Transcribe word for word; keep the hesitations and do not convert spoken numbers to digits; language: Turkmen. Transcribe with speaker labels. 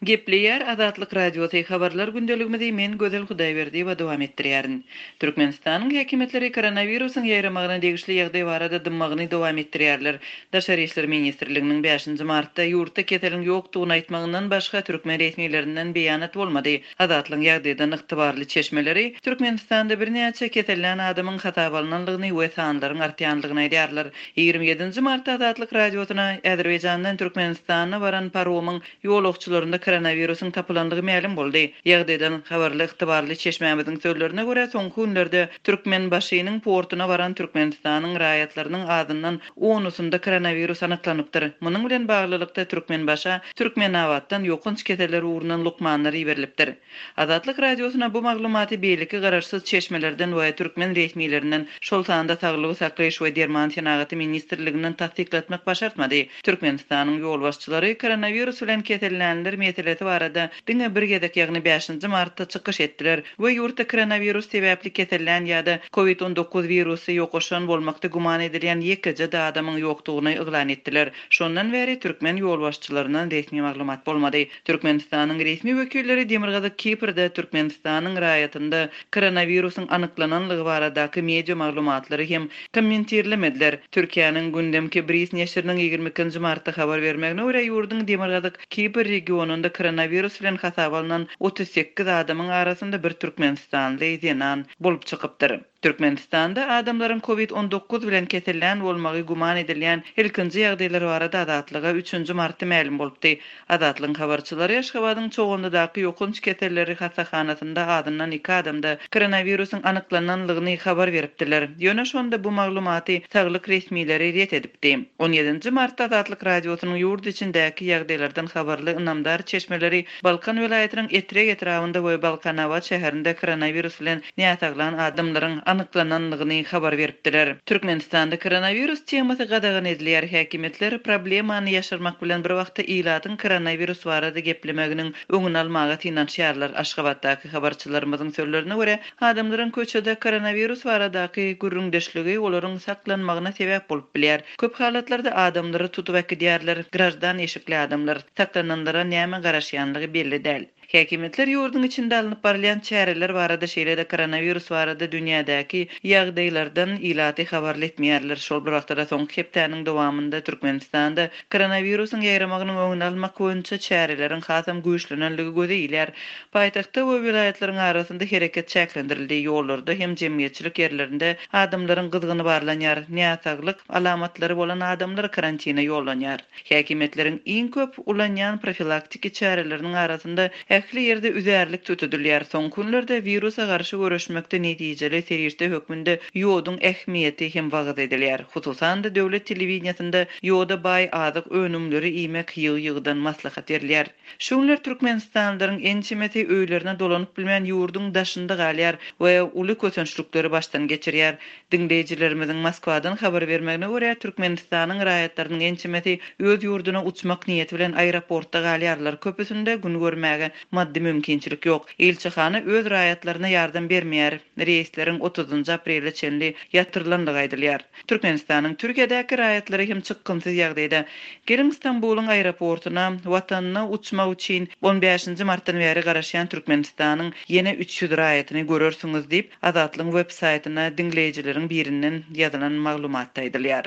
Speaker 1: Gepleýär Azatlyk Radiosy habarlar gündeligimizi men Gözel Hudaýberdiýewa dowam etdirýärin. Türkmenistanyň häkimiýetleri koronawirusyň ýaýramagyna degişli ýagdaý barada dymmagyny dowam etdirýärler. Daşary işler ministrliginiň bäşinji martda ýurtda keseliň ýokdugyny aýtmagyndan başga türkmen resmilerinden beýanat bolmady. Azatlygyň ýagdaýdan ygtybarly çeşmeleri Türkmenistanda birnäçe kesellän adamyň hasaba alnandygyny we sanlaryň artýandygyny aýdýarlar. Ýigrimi ýedinji martda Azatlyk Radiosyna Azerbaýjandan Türkmenistana baran paromyň ýolagçylarynda koronawirusyň tapylandygy mälim boldy. Ýagdaýdan habarly ygtybarly çeşmämiziň sözlerine görä soňky günlerde Türkmenbaşynyň portuna baran Türkmenistanyň raýatlarynyň azyndan onusynda koronawirus anyklanypdyr. Munuň bilen baglylykda Türkmenbaşa Türkmenabatdan ýokanç keseller ugrundan lukmanlar iberilipdir. Azatlyk Radiosyna bu maglumaty beýleki garaşsyz çeşmelerden we türkmen resmilerinden, şol sanda Saglygy saklaýyş we derman senagaty ministrliginden tassyklatmak başartmady. Türkmenistanyň ýolbaşçylary koronawirus bilen kesellänler meselesi barada diňe bir gezek, ýagny bäşinji martda çykyş etdiler we ýurtda koronawirus sebäpli kesellän ýa-da COVID on dokuz wirusy ýokaşan bolmakda güman edilýän ýekeje adamyň ýokdugyny yglan etdiler. Şondan bäri türkmen ýolbaşçylaryndan resmi maglumat bolmady. Türkmenistanyň resmi wekilleri Demirgazyk Kiprde Türkmenistanyň raýatynda koronawirusyň anyklananlygy baradaky media maglumatlary hem kommentirlemediler. Türkiýäniň gündemki Bris neşiriniň ýigrimi ikinji martda habar bermegine görä ýurduň Demirgazyk Kipr regionynda koronawirus bilen hasaba alynan otuz sekiz adamyň arasynda bir türkmenistanly zenan bolup çykypdyr. Türkmenistanda adamlaryň COVID on dokuz bilen kesellän bolmagy güman edilýän ilkinji ýagdaýlar barada Azatlyga üçünji martda mälim bolupdy. Azatlygyň habarçylary Aşgabadyň Çoganlydaky ýokanç keselleri hassahanasynda azyndan iki adamda koronawirusyň anyklananlygyny habar beripdiler. Ýöne şonda bu maglumaty saglyk resmileri ret edipdi. On ýedinji martda Azatlyk Radiosynyň ýurt içindäki ýagdaýlardan habarly ynamdar çeşmeleri Balkan welaýatynyň Etrek etrabynda we Balkanabat şäherinde koronawirus bilen näsaglan adamlaryň anyklananlygyny habar beripdiler. Türkmenistanda koronawirus temasy gadagan edilýär. Häkimiýetler problemany ýaşyrmak bilen bir wagtda ilatyň koronawirus barada geplemeginiň öňüni almaga synanyşýarlar. Aşgabatdaky habarçylarymyzyň sözlerine görä, adamlaryň köçede koronawirus baradaky gürrüňdeşligi olaryň saklanmagyna sebäp bolup bilýär. Köp halatlarda adamlary tutup äkidýärler, grajdan eşikli adamlar saklananlara näme garaşýanlygy belli däl. Häkimiýetler ýurduň içinde alnyp barylýan çäreler barada şeýle-de koronawirus barada dünýädäki ýagdaýlardan ilaty habarly etmeýärler. Şol bir wagtda soňky hepdäniň dowamynda Türkmenistanda koronawirusyň ýaýramagynyň öňüni almak boýunça çäreleriň hasam güýçlenenligi göze ilýär. Paýtagtda we welaýatlaryň arasynda hereket çäklendirildi. Ýollarda hem jemgyýetçilik ýerlerinde adamlaryň gyzgyny barlanýar. Näsaglyk alamatlary bolan adamlar karantina ýollanýar. Häkimiýetleriň iň köp ulanýan profilaktiki çäreleriniň arasynda ähli ýerde üzärlik tutulýar. Soňky günlerde wirusa garşy görüşmekde netijeli serişde hökmünde ýoduň ähmiýeti hem wagyz edilýär. Hususan-da döwlet telewideniýasynda ýoda baý azyk önümleri iýmek ýygy-ýygydan maslahat berilýär. Şu günler Türkmenistanlylaryň ençemesi öýlerine dolanyp bilmän ýurduň daşynda galýar we uly kösençlikleri başdan geçirýär. Diňleýjilerimiziň Moskwadan habar bermegine görä Türkmenistanyň raýatlarynyň ençemesi öz ýurduna uçmak niýeti bilen aeroportda galýarlar. Köpüsinde gün görmäge maddy mümkinçilik ýok. Ilçihana öz raýatlaryna ýardam bermeýär. Reýsleriň otuzynjy aprele çenli ýatyrylandygy aýdylýar. Türkmenistanyň Türkiýedäki raýatlary hem çykgynsyz ýagdaýda. Geliň Stambulyň aeroportuna watanyna uçmak üçin on bäşinji martdan bäri garaşýan Türkmenistanyň ýene üç ýüz raýatyny görersiňiz diýip Azatlygyň web saýtyna diňleýjileriň birinden ýazylan maglumatda aýdylýar.